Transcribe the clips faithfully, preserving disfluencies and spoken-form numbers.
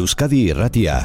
Euskadi Irratia.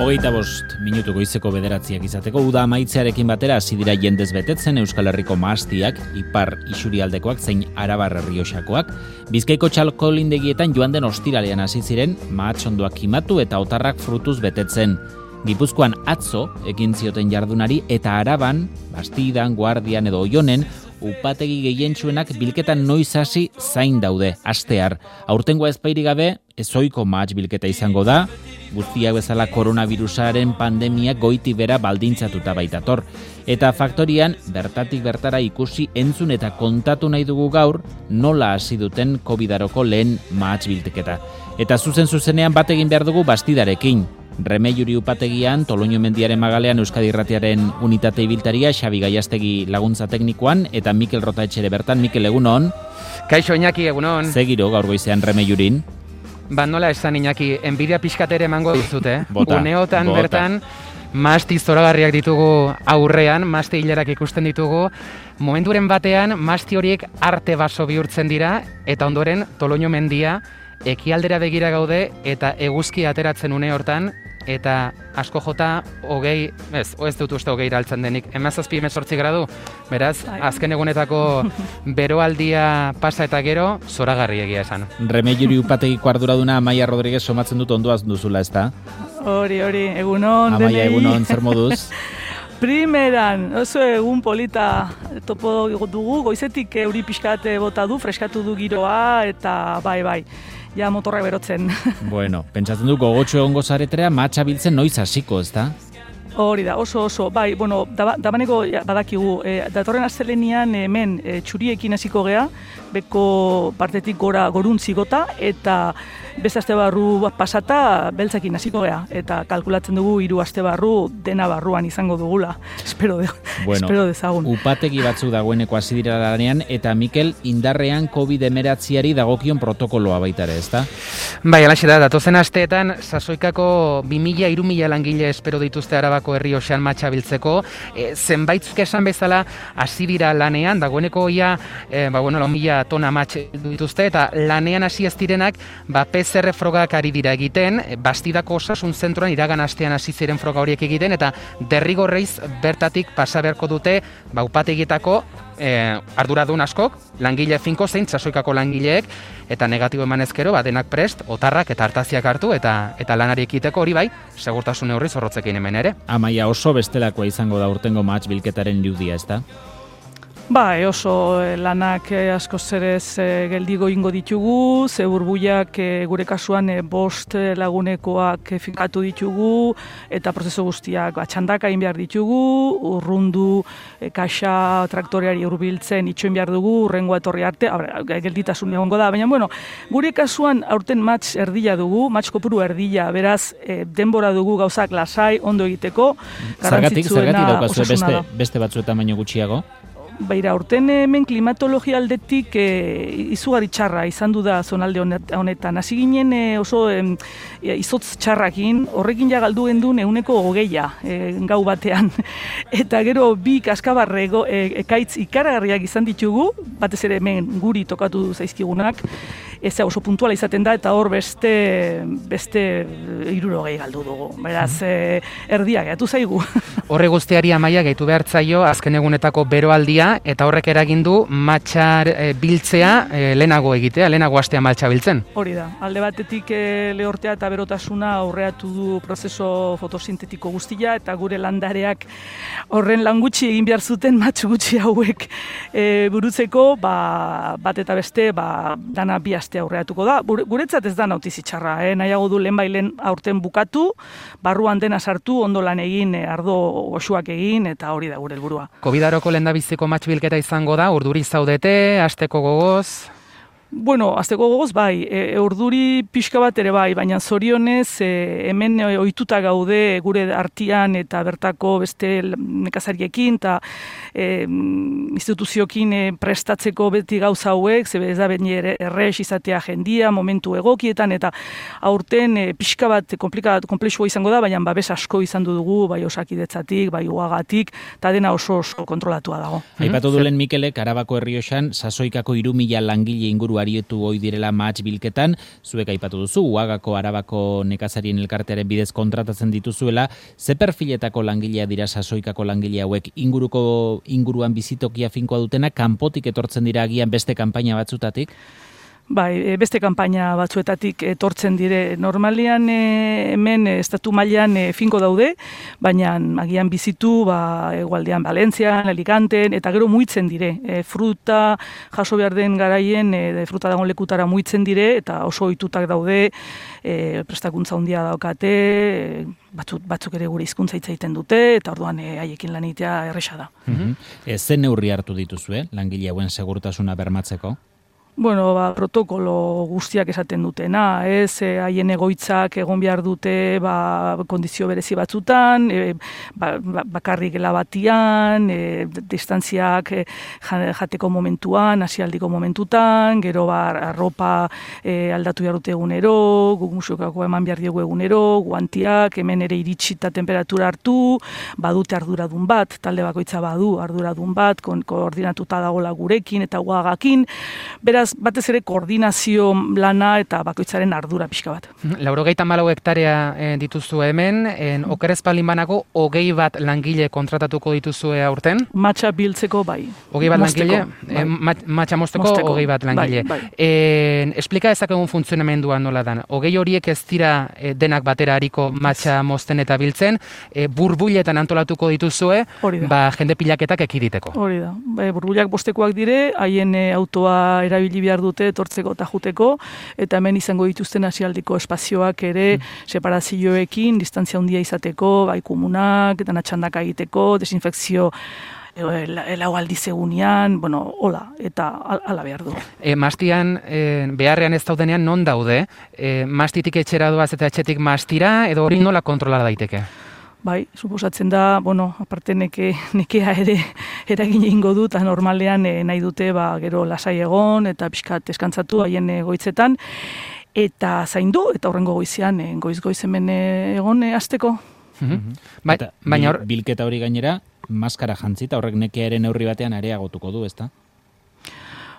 Hogeita bost minutu goizeko bederatziak izateko, uda amaitzearekin batera hasi dira jendez betetzen Euskal Herriko mahastiak, ipar isurialdekoak zein arabar errioxakoak. Bizkaiko txalkolindegietan joan den ostiralean hasi ziren mahatsondoak kimatu eta otarrak frutuz betetzen. Gipuzkoan atzo ekin zioten jardunari eta Araban, Bastidan, Guardian edo Oionen upategi gehientsuenak bilketan noiz hasi zain daude, astear. Aurtengoa ezpairik gabe, ezoiko mahats bilketa izango da, guztiak bezala koronavirusaren pandemiak goiti bera baldintzatuta baitator. Eta faktorian, bertatik bertara ikusi entzun eta kontatu nahi dugu gaur, nola hasi duten kovidaroko lehen mahats bilketa. Eta zuzen zuzenean bat egin behar dugu Bastidarekin. Remeiuri upategian, Toloño mendiaren magalean Euskadi Irratiaren unitate ibiltaria, Xabi Gaiastegi laguntza teknikoan, eta Mikel Rotaetxere bertan. Mikel, egunon. Kaixo, Iñaki, egunon. Zegiro gaur goizean Remeiurin. Ba, nola esan, Iñaki, enbidia pixkatere emango dizute. Bota, Uneotan bota. bertan, masti zoragarriak ditugu aurrean, masti hilerak ikusten ditugu. Momenturen batean, masti horiek arte baso bihurtzen dira, eta ondoren Toloño mendia ekialdera begira gaude eta eguzki ateratzen une hortan, eta asko jota hogei, ez, ez dut uste hogei iraltzen denik, emazazpi emezortzi gradu, beraz, azken egunetako beroaldia pasa eta gero, zoragarri egia esan. Remeiuri upategiko arduraduna Amaia Rodriguez somatzen dut ondoaz duzula, ezta? Hori, hori, egunon. Amaia, egunon, zer moduz? Primeran, oso egun polita topo dugu, goizetik euri pixkate bota du, freskatu du giroa, eta bai, bai. Ja motorrak berotzen. Bueno, pentsatzen du gogotxo egongo zaretera matxa biltzen noiz hasiko, ezta? Hori da, oso oso, bai, bueno, daba, dabaneko ja, badakigu, e, datorren astelenian hemen e, txuriekin hasiko gea, beko partetik gora goruntzi gota, eta beste aste barru pasata beltzakin hasiko gea, eta kalkulatzen dugu hiru aste barru dena barruan izango dugula. Espero, de, bueno, espero dezagun. Upategi batzuk dagoeneko hasi dira lanean, eta Mikel, indarrean covid hemeretziari dagokion protokoloa baitare, ezta? Bai, alaxe da, datozen asteetan, sasoikako bi mila hiru mila langile espero dituzte Arabako Errioxan matxa biltzeko, e, zenbaitzuk esan bezala hasi dira lanean, dagoeneko ia, e, ba, bueno, lau mila tona matxe dituzte, eta lanean hasi ez direnak, ba, P C R frogak ari dira egiten, Bastidako osasun zentroan iragan astean hasi ziren froga horiek egiten, eta derrigorreiz bertatik pasa beharko dute, ba, upategietako E, arduradun askok, langile finko zein sasoikako langileek, eta negatibo eman ezkero, ba, denak prest, otarrak eta hartaziak hartu, eta eta lanari ekiteko hori bai, segurtasun neurri zorrotzekin hemen ere. Amaia, oso bestelakoa izango da urtengo mahats bilketaren irudia, ezta? Bai, oso lanak asko zerez geldigo ingo ditugu, ze burbuiak gure kasuan bost lagunekoak finkatu ditugu, eta prozesu guztiak txandaka egin behar ditugu, urrundu, kaxa, traktoreari hurbiltzen itxoin behar dugu, urrengoa etorri arte, gelditasun egongo da, baina bueno, gure kasuan aurten match erdila dugu, match kopuru erdila, beraz denbora dugu gauzak lasai, ondo egiteko, Zergatik, zergatik daukazue beste, da. beste batzuetan baino gutxiago? Baira, urten hemen klimatologia aldetik e, izugarri txarra izan du da zonalde honetan. Hasi ginen e, oso e, izotz txarrakin, horrekin ja galdu gendun euneko hogeia e, gau batean. Eta gero bi kaskabarre e, ekaitz ikaragarriak izan ditugu, batez ere hemen guri tokatu zaizkigunak, ez oso puntuala izaten da, eta hor beste beste hirurogei galdu dugu. Beraz, e, erdia gehatu zaigu. Horre guztiari Amaia gehitu behartzaio azken egunetako beroaldia, eta horrek eragin du matxar e, biltzea e, lehenago egitea, lehenago astea matxa biltzen. Hori da, alde batetik e, lehortea eta berotasuna aurreatu du prozeso fotosintetiko guztia, eta gure landareak horren lan gutxi egin behar zuten matx gutxi hauek e, burutzeko, ba, bat eta beste ba, dana bi aste aurreatuko da. Guretzat ez da nautizi txarra, eh? Nahiago du lehen bailen aurten bukatu, barruan dena sartu, ondo lan egin, ardo goxuak egin, eta hori da gure helburua. Covidaroko lehendabiziko matx bilketa izango da, urduri zaudete, asteko gogoz? Bueno, azteko gogoz, bai, e, urduri pixka bat ere bai, baina zorionez e, hemen ohituta gaude gure artian eta bertako beste nekazariekin eta e, instituziokin e, prestatzeko beti gauza hauek, ze ez da beni errex izatea jendia, momentu egokietan, eta aurten e, pixka bat komplexua izango da, baina babes asko izan dugu, bai Osakidetzatik, bai Uagatik, eta dena oso oso kontrolatua dago. Aipatu dulen Mikelek, Arabako Errioxan, sasoikako hiru mila langile inguru arietu ohi direla mahats bilketan, zuek aipatu duzu, Uagako Arabako nekazarien elkartearen bidez kontratatzen dituzuela, ze perfiletako langilea dira sasoikako langile hauek, inguruko inguruan bizitokia finkoa dutena, kanpotik etortzen dira agian beste kanpaina batzutatik? Bai, beste kanpaina batzuetatik etortzen dire. Normalian e, hemen estatu mailan e, finko daude, baina agian bizitu ba, egualdean Valentzian, Alicanten, eta gero muitzen dire. E, fruta jaso behar den garaien, e, fruta dagoen lekutara muitzen dire, eta oso ohitutak daude, e, prestakuntza handia daukate, e, batzuk, batzuk ere gure hizkuntza hitz egiten dute, eta orduan e, haiekin lan egitea erresa da. Mm-hmm. E, ze neurri hartu dituzue, langile hauen segurtasuna bermatzeko? Bueno, ba, protokolo guztiak esaten dutena, ez, e, haien egoitzak egon behar dute ba, kondizio berezi batzutan, e, ba, ba, bakarrik gela batian, e, distantziak e, jateko momentuan, hasialdiko momentutan, gero ba, arropa e, aldatu behar dute egunero, guk musikako eman behar diegu egunero, guantiak, hemen ere iritsita temperatura hartu, badute arduradun bat, talde bakoitza badu arduradun bat, kon, koordinatuta dagoela gurekin eta Uagakin, beraz, batez ere koordinazio lana eta bakoitzaren ardura pixka bat. Laurogeita hamalau hektarea e, dituzu hemen, en, okerez palin banago, hogei bat langile kontratatuko dituzue aurten? Matxa biltzeko bai. Hogei bat mosteko, langile? Bai. E, matxa mosteko, mosteko, hogei bat langile. Bai, bai. E, esplika ezakegun funtzionamendua nola dan. Hogei horiek ez dira e, denak batera hariko matxa mosten eta biltzen, e, burbuiletan antolatuko dituzue, ba, jende pilaketak ekiditeko. Hori da. Ba, burbuilak bostekoak dire, haien e, autoa erabili behar dute etortzeko eta juteko, eta hemen izango dituzten hasialdiko espazioak ere mm. separazioekin, distantzia handia izateko, bai komunak, dana txandaka egiteko, desinfekzio lau aldiz egunean, bueno, hola, eta ala behar du. E, mastian, e, beharrean ez daudenean non daude? E, mastitik etxera doaz eta etxetik mastira, edo hori nola kontrola daiteke? Bai, suposatzen da, bueno, aparte neke, nekea ere eragin egingo du, eta normalean e, nahi dute ba, gero lasai egon, eta pixkat eskantzatu haien goitzetan, eta zaindu, eta horrengo goizean, e, goiz-goiz hemen egon e, azteko. Mm-hmm. Ba, baina hor... Bilketa hori gainera, maskara jantzita, horrek nekearen neurri batean areagotuko du, ezta?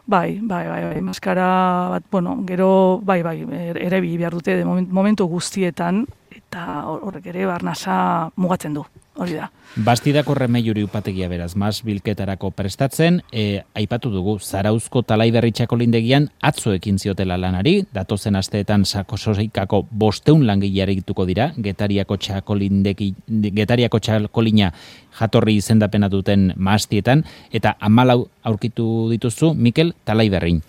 Bai, bai, bai, bai, maskara bat, bueno, gero, bai, bai, ere bi behar dute de momentu guztietan, eta horrek ere barnasa mugatzen du, hori da. Bastidako remeiuri upategia beraz, mas bilketarako prestatzen, e, aipatu dugu, Zarauzko Talaiberri txakolindegian atzo ekin ziotela lanari, datozen asteetan sakosoikako bosteun langileari dituko dira, Getariako txakolindegi, Getariako txakolina jatorri izendapena duten mastietan, eta hamalau aurkitu dituzu, Mikel, Talaiberrin.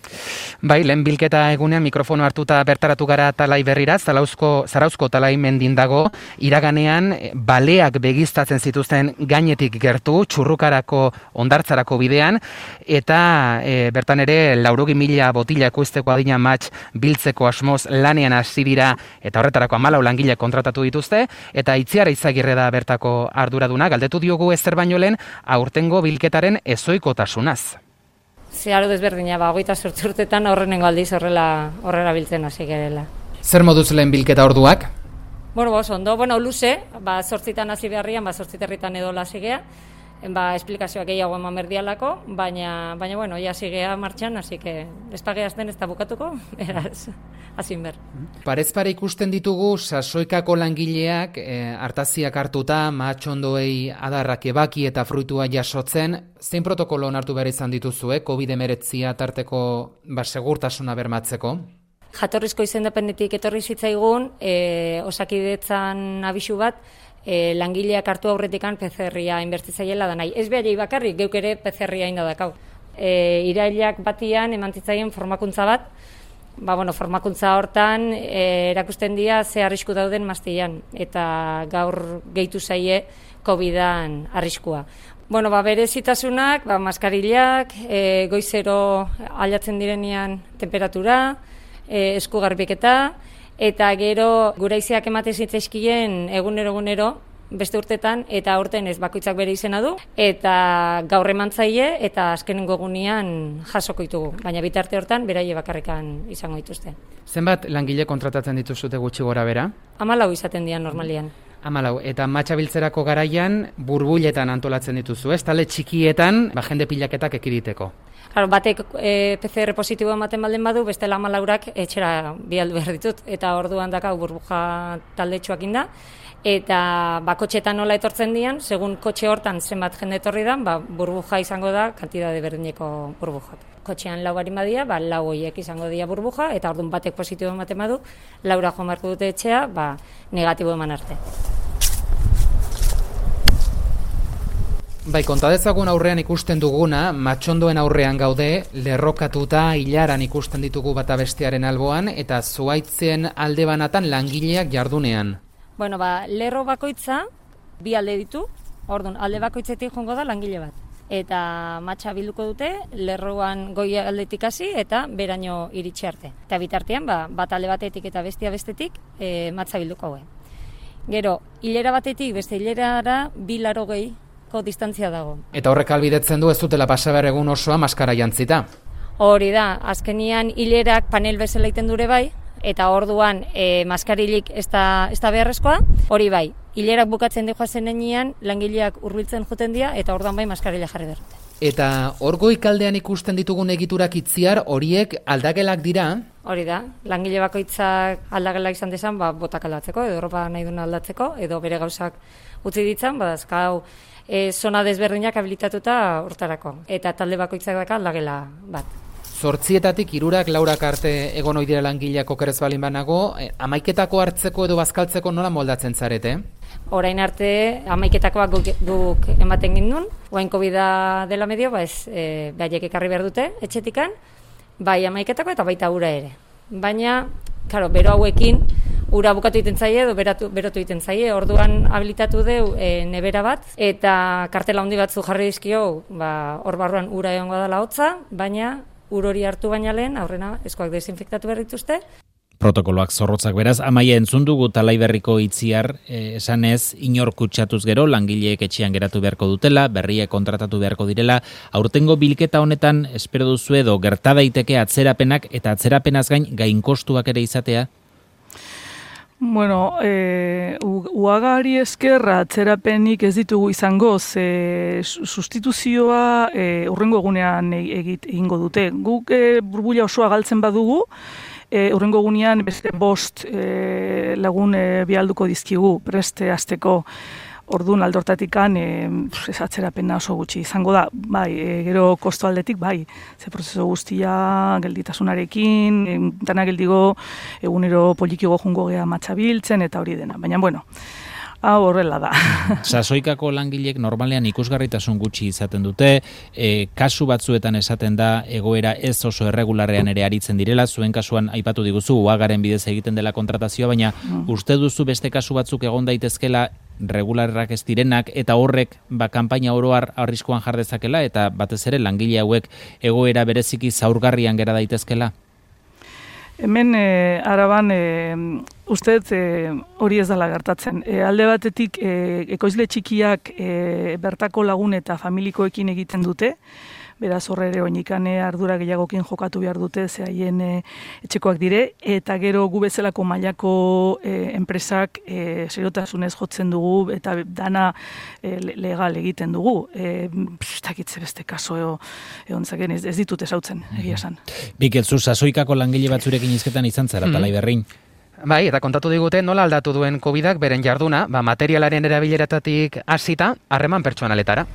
Bai, lehen bilketa egunean mikrofono hartuta bertaratu gara Talaiberrira, Zarauzko, Zarauzko Talaimendin dago, iraganean baleak begiztatzen zituzten gainetik gertu, txurrukarako ondartzarako bidean, eta e, bertan ere laurogi mila botila ekoizteko adina matx biltzeko asmoz lanean hasi dira, eta horretarako hamalau langile kontratatu dituzte, eta Itziar Izagirre da bertako arduraduna, galdetu diogu ezer baino lehen aurtengo bilketaren ezoikotasunaz. Zeharo desberdina, ba, hogeita zortzi urtetan horrenengo aldiz horrela horrela biltzen hasi gerela. Zer moduz lehen bilketa orduak? Bueno, ba, ondo, bueno, luze, ba, zortzitan hasi beharrian, ba, zortziterritan edo lasegea, ba, esplikazioak gehiago eman berdialako, baina, baina, bueno, ja sigea martxan, hasi que ez pageazten ez da bukatuko, eraz, hazin ber. Parez pare ikusten ditugu, sasoikako langileak, e, hartaziak hartuta, mahatxondoei adarrak ebaki eta fruitua jasotzen, zein protokolo onartu behar izan dituzue, covid hemeretzia tarteko, ba, segurtasuna bermatzeko? Jatorrizko izendapendetik etorri zitzaigun, e, Osakidetzan abisu bat, e, langileak hartu aurretikan P C R-ia inbertitzaiela da nahi. Ez behar bakarrik, geuk ere P C R-ia inda dakau. E, irailak batian emantzitzaien formakuntza bat, ba, bueno, formakuntza hortan e, erakusten dira ze arrisku dauden maztian, eta gaur gehitu zaie kovidan arriskua. Bueno, ba, berezitasunak, ba, maskarillak, e, goizero aldatzen direnean temperatura, e, esku garbiketa, eta gero guraizeak ematen zitzaizkien egunero-egunero, beste urtetan, eta aurten ez bakoitzak bere izena du, eta gaur emantzaile, eta azkenengo egunean jasoko ditugu, baina bitarte hortan beraie bakarrikan izango dituzte. Zenbat langile kontratatzen dituzute gutxi gora bera? Hamalau izaten dian normalian. Hamalau, eta matxabiltzerako garaian burbuiletan antolatzen dituzu, ez? Tale txikietan, ba, jende pilaketak ekiditeko. Claro, batek e, P C R positibo ematen baldin badu, bestela hamalaurak etxera bialdu behar ditut, eta orduan dakau burbuja taldetxoak inda, eta ba, kotxetan nola etortzen dian, segun kotxe hortan zenbat jende etorri da, ba, burbuja izango da, kantidade berdineko burbujak. Kotxean lau barin badia, ba, lau horiek izango dira burbuja, eta orduan batek positibo ematen badu, laura joan beharko dute etxea, ba, negatibo eman arte. Bai, kontadezagun aurrean ikusten duguna, matxondoen aurrean gaude, lerrokatuta hilaran ikusten ditugu bata bestearen alboan, eta zuhaitzen alde banatan langileak jardunean. Bueno, ba, lerro bakoitza bi alde ditu, orduan alde bakoitzetik joango da langile bat. Eta matxa bilduko dute, lerroan goi aldetik hasi eta beraino iritsi arte. Eta bitartean, ba, bat alde batetik eta bestia bestetik e, matza bilduko haue. Gero, hilera batetik beste hilerara bi laro gehi distantzia dago. Eta horrek albidetzen du ez dutela pasaber egun osoa maskara jantzita. Hori da, azkenian hilerak panel bezala iten dure bai, eta orduan e, maskarilik ez da, ez da beharrezkoa, hori bai, hilerak bukatzen dihoa zenean langileak hurbiltzen joten dira, eta orduan bai maskarila jarri berrute. Eta hor goikaldean ikusten ditugun egiturak itziar horiek aldagelak dira? Hori da, langile bakoitzak aldagelak izan dezan, ba, botak aldatzeko, edo ropa nahi duna aldatzeko, edo bere gauzak utzi ditzan, badazkau e, zona desberdinak habilitatuta hortarako. Eta talde bakoitzak daka aldagela bat. Zortzietatik hirurak laurak arte egon ohi dira langileak okerez balin banago, e, amaiketako hartzeko edo bazkaltzeko nola moldatzen zarete? Orain arte amaiketakoak guk, guk ematen gindun, oain covida dela medio, ba ez, e, behaiek ekarri behar dute etxetikan, bai amaiketako eta baita ura ere. Baina, karo, bero hauekin, ura bukatu egiten zaie edo beratu, berotu egiten zaie, orduan habilitatu deu e, nebera bat, eta kartela handi batzu jarri dizkio, ba, hor barruan ura egongo dela hotza, baina ur hori hartu baina lehen, aurrena eskoak desinfektatu behar dituzte. Protokoloak zorrotzak beraz, Amaia entzun dugu Talaiberriko itziar, eh, esanez, inor kutsatuz gero, langileek etxean geratu beharko dutela, berriek kontratatu beharko direla, aurtengo bilketa honetan, espero duzu edo, gerta daiteke atzerapenak eta atzerapenaz gain gainkostuak ere izatea? Bueno, e, uagari eskerra atzerapenik ez ditugu izango, ze sustituzioa e, urrengo egunean egit egingo dute. Guk e, burbuila osoa galtzen badugu, e, urrengo egunean beste bost e, lagun e, bialduko dizkigu, preste azteko. Orduan aldortatikan e, ez atzerapena oso gutxi izango da, bai, e, gero kosto aldetik, bai, ze prozeso guztia gelditasunarekin, e, dana geldigo egunero polikigo jungo gea matxabiltzen eta hori dena, baina bueno, hau horrela da. Sasoikako langilek normalean ikusgarritasun gutxi izaten dute, e, kasu batzuetan esaten da egoera ez oso erregularrean ere aritzen direla, zuen kasuan aipatu diguzu, uagaren bidez egiten dela kontratazioa, baina mm. uste duzu beste kasu batzuk egon daitezkela regularrak ez direnak, eta horrek ba, kanpaina oroar arriskuan jar dezakela, eta batez ere langile hauek egoera bereziki zaurgarrian gera daitezkela? Hemen e, Araban e, uste e, hori ez dela gertatzen. E, alde batetik e, ekoizle txikiak e, bertako lagun eta familikoekin egiten dute, beraz horre ere oinikane ardura gehiagokin jokatu behar dute, ze haien e, etxekoak dire, eta gero gu bezalako mailako e, enpresak e, seriotasunez jotzen dugu, eta dana e, legal egiten dugu. E, Pstakitze beste kaso eo, egon zaken, ez, ez ditut esautzen, egia esan. Bikelzu, sasoikako langile batzurekin izketan izan zara, mm. Talaiberrin. Bai, eta kontatu digute nola aldatu duen covidak beren jarduna, ba, materialaren erabileratatik hasita harreman pertsonaletara.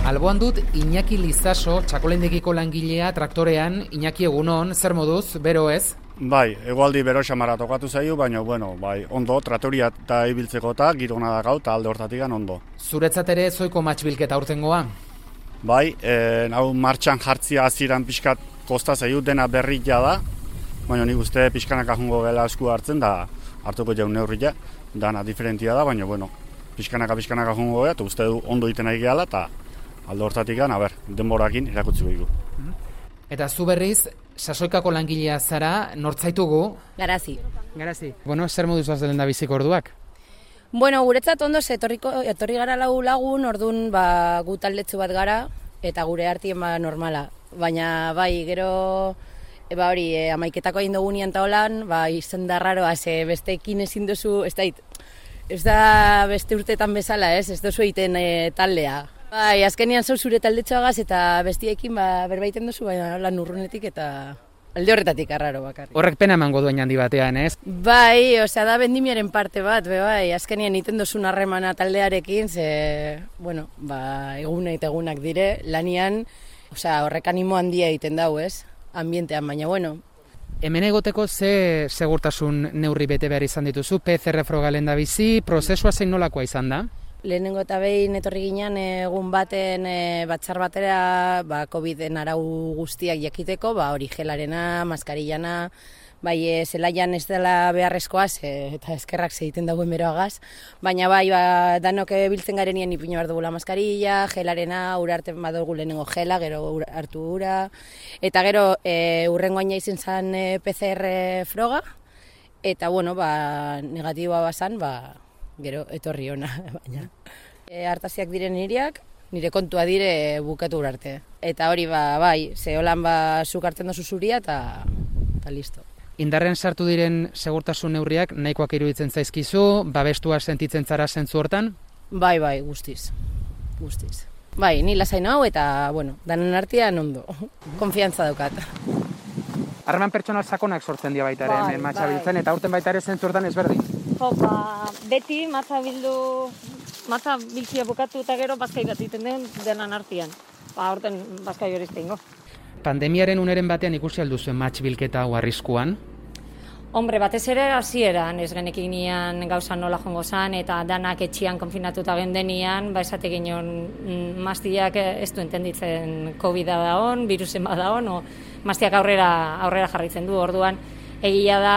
Alboan dut Iñaki Lizaso, txakolendegiko langilea traktorean. Iñaki, egunon, zer moduz, bero ez? Bai, egualdi bero xamara tokatu zaio, baina, bueno, bai, ondo, traktoria eta ibiltzeko eta girona da gau, eta alde hortatikan ondo. Zuretzat ere zoiko matxbilketa urtengoa? Bai, e, hau martxan jartzia aziran pixkat kosta zaio, dena berria da, baina nik uste pixkanak ahongo gela esku hartzen, da hartuko jaun neurria, dana diferentia da, baina, bueno, pixkanaka, pixkanaka jongo gara, eta uste du ondo egiten nahi gehala, eta alde hortatik gan, aber, denborakin erakutziko dugu. Eta zu berriz, Sasoikako langilea zara, nortzaitugu? Garazi. Garazi. Bueno, zer moduz bazelen da biziko orduak? Bueno, guretzat ondo, etorriko, etorri gara lau lagun, orduan ba, gu taldetzu bat gara, eta gure artien ba normala. Baina, bai, gero, e, ba hori, e, amaiketako egin dugu nian taolan, ba, izan da raroa, ze besteekin ezin duzu, ez da, ez da beste urtetan bezala, ez, ez duzu egiten e, taldea. Bai, azkenean zau zure taldetxoagaz eta bestiekin ba, berbaiten duzu, baina lan urrunetik eta alde horretatik arraro bakarrik. Horrek pena emango duen handi batean, ez? Bai, osea, da bendimiaren parte bat, be, bai, azkenean iten duzun harremana taldearekin, ze, bueno, ba, egunak eta egunak dire, lanian, osea, horrek animo handia egiten dau, ez? Ambientean, baina, bueno. Hemen egoteko ze segurtasun neurri bete behar izan dituzu, P C R froga lehen da bizi, prozesua zein nolakoa izan da? Lehenengo eta behin etorri ginen egun baten e, batzar batera ba, Coviden arau guztiak jakiteko, ba, hori gelarena, maskarillana, bai e, zelaian ez dela beharrezkoa, ze, eta eskerrak egiten dagoen beroagaz, baina bai ba, danok biltzen garenien ipino behar dugula maskarilla, gelarena, ura hartzen badugu lehenengo gela, gero ura, hartu ura, eta gero e, urrengoaina izan zen e, P C R froga, eta bueno, ba, negatiboa bazan, ba, gero etorri ona, baina. E, hartasiak diren niriak, nire kontua dire bukatu arte. Eta hori ba, bai, ze holan ba, zuk hartzen dozu zuria eta listo. Indarren sartu diren segurtasun neurriak nahikoak iruditzen zaizkizu, babestua sentitzen zara zentzu hortan? Bai, bai, guztiz, guztiz. Bai, ni lasain hau eta, bueno, danen artean ondo, konfiantza daukat. Harreman pertsonal sakonak sortzen dira baita ere, bai, hemen matxa biltzen, eta aurten baita ere zentzu hortan ezberdin. Jo, ba, beti matza bildu, matza biltzia bukatu eta gero bazkai bat egiten den denan artean. Ba, horten bazkai hori iztengo. Pandemiaren uneren batean ikusi alduzuen matx bilketa hau arriskuan? Hombre, batez ere hasieran ez genekin nian gauza nola jongo zan, eta danak etxian konfinatuta gendenian, ba esate ginen maztiak ez du entenditzen COVID-a da hon, virusen bada hon, o maztiak aurrera, aurrera jarritzen du, orduan egia da,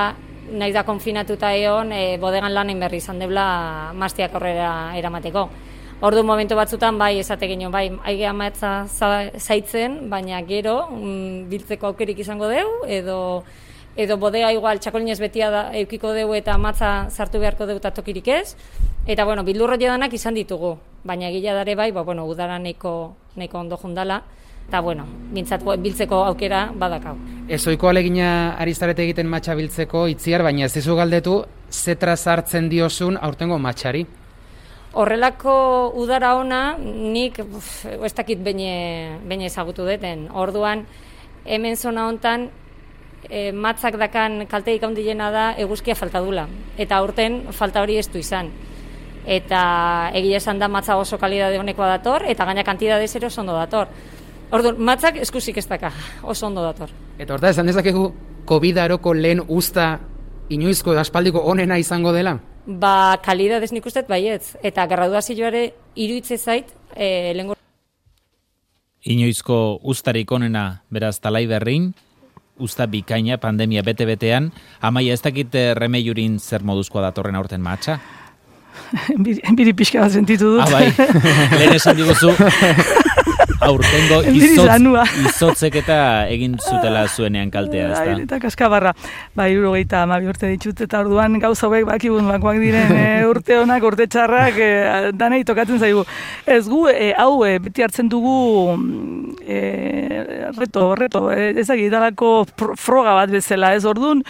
nahi da konfinatuta egon, e, bodegan lan berri izan debla maztiak aurrera eramateko. Ordu momentu batzutan, bai, esate ginen, bai, aige amatza zaitzen, baina gero, mm, biltzeko aukerik izango deu, edo edo bodega igual txakolinez betia da, eukiko deu eta matza sartu beharko deu eta tokirik ez. Eta, bueno, bildurro jedanak izan ditugu, baina egila dare bai, ba, bueno, udara neko, neko ondo jundala, eta, bueno, bintzat biltzeko aukera badakau. Ez oiko alegina ari zarete egiten matxa biltzeko itziar, baina ez dizu galdetu, zetra sartzen diozun aurtengo matxari? Horrelako udara ona, nik uf, ez dakit behin ezagutu deten. Orduan, hemen zona hontan, E, matzak dakan kalteik handiena da eguzkia falta dula. Eta aurten falta hori ez du izan. Eta egia esan da matza oso kalidade honekoa dator, eta gaina kantidadez ere oso ondo dator. Orduan, matzak eskusik ez daka, oso ondo dator. Eta horta, esan dezakegu COVID-aroko lehen usta inoizko aspaldiko onena izango dela? Ba, kalidadez nik usteet baietz. Eta graduazioare iruitze zait, e, lengo... Inoizko ustarik onena, beraz, talai berrin, usta bikaina, pandemia bete-betean. Amaia, ez dakit remeiurin zer moduzkoa datorren aurten matxa? Enbiri pixka bat sentitu dut. Ah, bai, lehen esan diguzu, aurtengo izotz, izotzek eta egin zutela zuenean kaltea, ez da? Eta kaskabarra, ba, irurogeita amabi urte ditut, eta orduan gauza hauek bakibun bakoak diren e, urte honak, urte txarrak, e, danei tokatzen zaigu. Ez gu, e, hau, e, beti hartzen dugu e, reto, reto, e, ezagidalako froga bat bezala, ez orduan,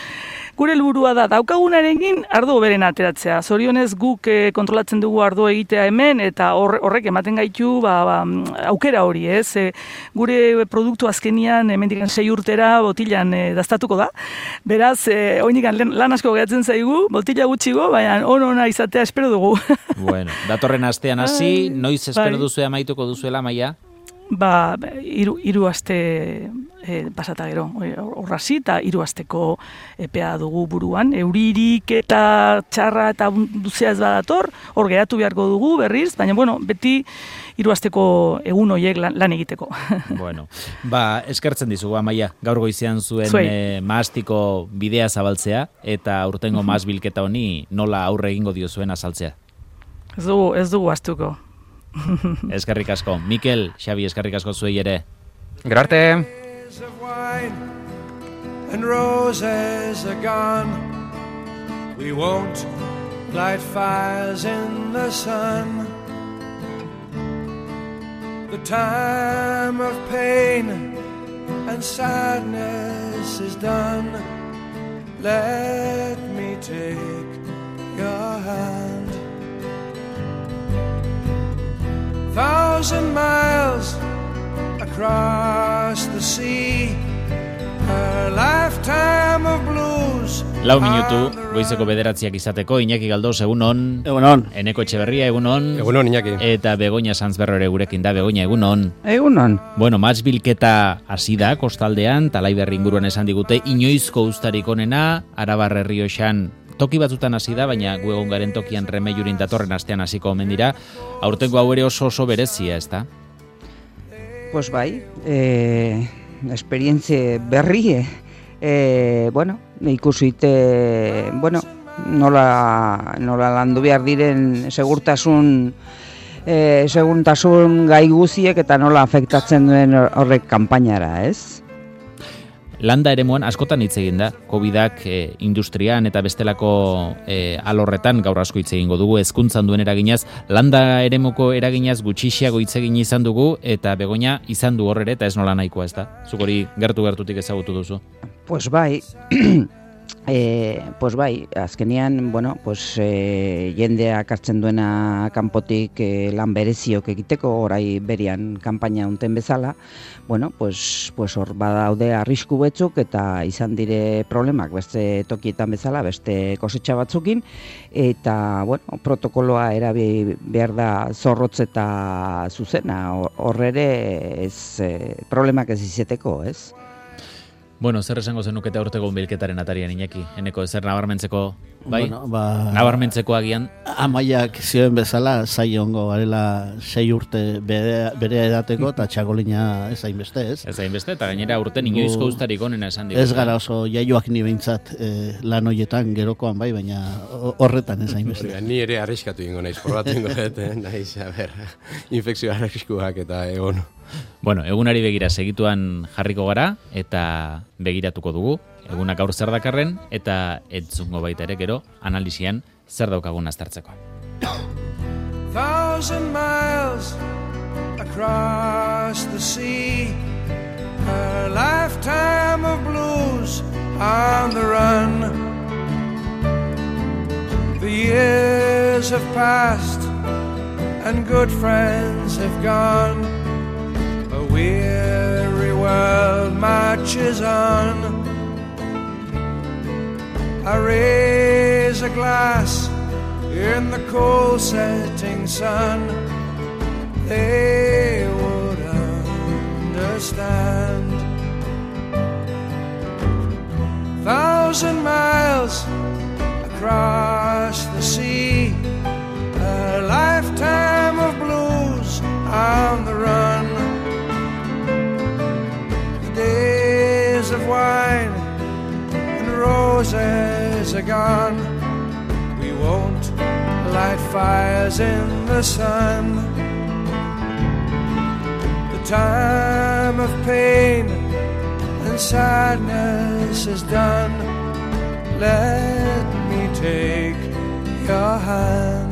gure helburua da daukagunarekin ardo beren ateratzea. Zorionez guk e, kontrolatzen dugu ardo egitea hemen eta hor, horrek ematen gaitu ba, ba, aukera hori, ez? E, gure produktu azkenian hemendik sei urtera botilan e, dastatuko da. Beraz, e, oinikan lan asko gehatzen zaigu, botila gutxigo, baina on-ona izatea espero dugu. Bueno, datorren astean hasi, noiz espero bai. duzu amaituko duzuela, Maia? Ba, hiru hiru aste e, pasata gero, horrazi eta hiru asteko epea dugu buruan, euririk eta txarra eta luzea ez badator, hor geratu beharko dugu berriz, baina bueno, beti hiru asteko egun horiek lan, lan egiteko. Bueno, ba, eskertzen dizugu, Amaia, gaur goizean zuen e, mahastiko bidea zabaltzea, eta aurtengo mahas bilketa honi nola aurre egingo dio zuen azaltzea. Ez dugu, ez dugu astuko. Eskerrik asko. Mikel, Xabi, eskerrik asko zuei ere. Gero arte. And roses are gone. We won't light fires in the sun. The time of pain and sadness is done. Let me take your hand. Thousand miles across the sea, a lifetime of blues. Lau minutu, goizeko bederatziak izateko, Iñaki Galdos, egunon. Egunon. Eneko Etxeberria, egunon. Egunon, Iñaki. Eta Begoña Sanzberro ere gurekin da, Begoña, egunon. Egunon. Bueno, match bilketa hasi da, kostaldean, Talaiberri inguruan esan digute, inoizko uztarik onena, Arabar Errioxan toki batzutan hasi da, baina gu egon garen tokian Remeiurin datorren astean hasiko omen dira. Aurtengo hau ere oso oso berezia, ezta? Pues bai, eh, esperientzie berri, eh, bueno, ikusite, bueno, nola, nola landu behar diren segurtasun, eh, segurtasun gai guziek eta nola afektatzen duen horrek kanpainara, ez? Landa eremuan askotan hitz egin da, Covidak e, industrian eta bestelako e, alorretan gaur asko hitz egingo dugu, hezkuntzan duen eraginaz, landa eremuko eraginaz gutxixiago hitz egin izan dugu, eta Begoña izan du horre eta ez nola nahikoa, ez da? Zuk hori gertu-gertutik ezagutu duzu? Pues bai, e, pues bai, azkenian, bueno, pues e, jendeak hartzen duena kanpotik e, lan bereziok egiteko, orai berian kanpaina unten bezala, bueno, pues, pues hor badaude arrisku betzuk eta izan dire problemak beste tokietan bezala, beste kosetxa batzukin, eta, bueno, protokoloa erabi behar da zorrotz eta zuzena, horrere ez e, problemak ez izeteko, ez? Bueno, zer esango zenukete aurteko bilketaren atarian, Iñaki? Eneko, zer nabarmentzeko, bai? Bueno, ba, nabarmentzeko agian? Amaiak zioen bezala, zai ongo garela sei urte bere, bere edateko, eta txakolina ez hainbeste, ez? Ez hainbeste, eta gainera urten inoizko uztarik onena esan digu. Ez gara oso jaioak ni behintzat eh, lan hoietan gerokoan bai, baina horretan ez hainbeste. Ni ere arriskatu ingo naiz, probatu ingo dut, naiz, a ber, infekzio arriskuak eta egon. Bueno, egunari begira segituan jarriko gara eta begiratuko dugu. Egunak aur zer dakarren eta entzungo baita ere gero analisian zer daukagun aztertzeko. Thousand miles across the sea, a lifetime of blues on the run. The years have passed and good friends have gone. A weary world marches on. I raise a glass in the cold setting sun. They would understand. Thousand miles across the sea, a lifetime of blues on the run. Days of wine and roses are gone. We won't light fires in the sun. The time of pain and sadness is done. Let me take your hand.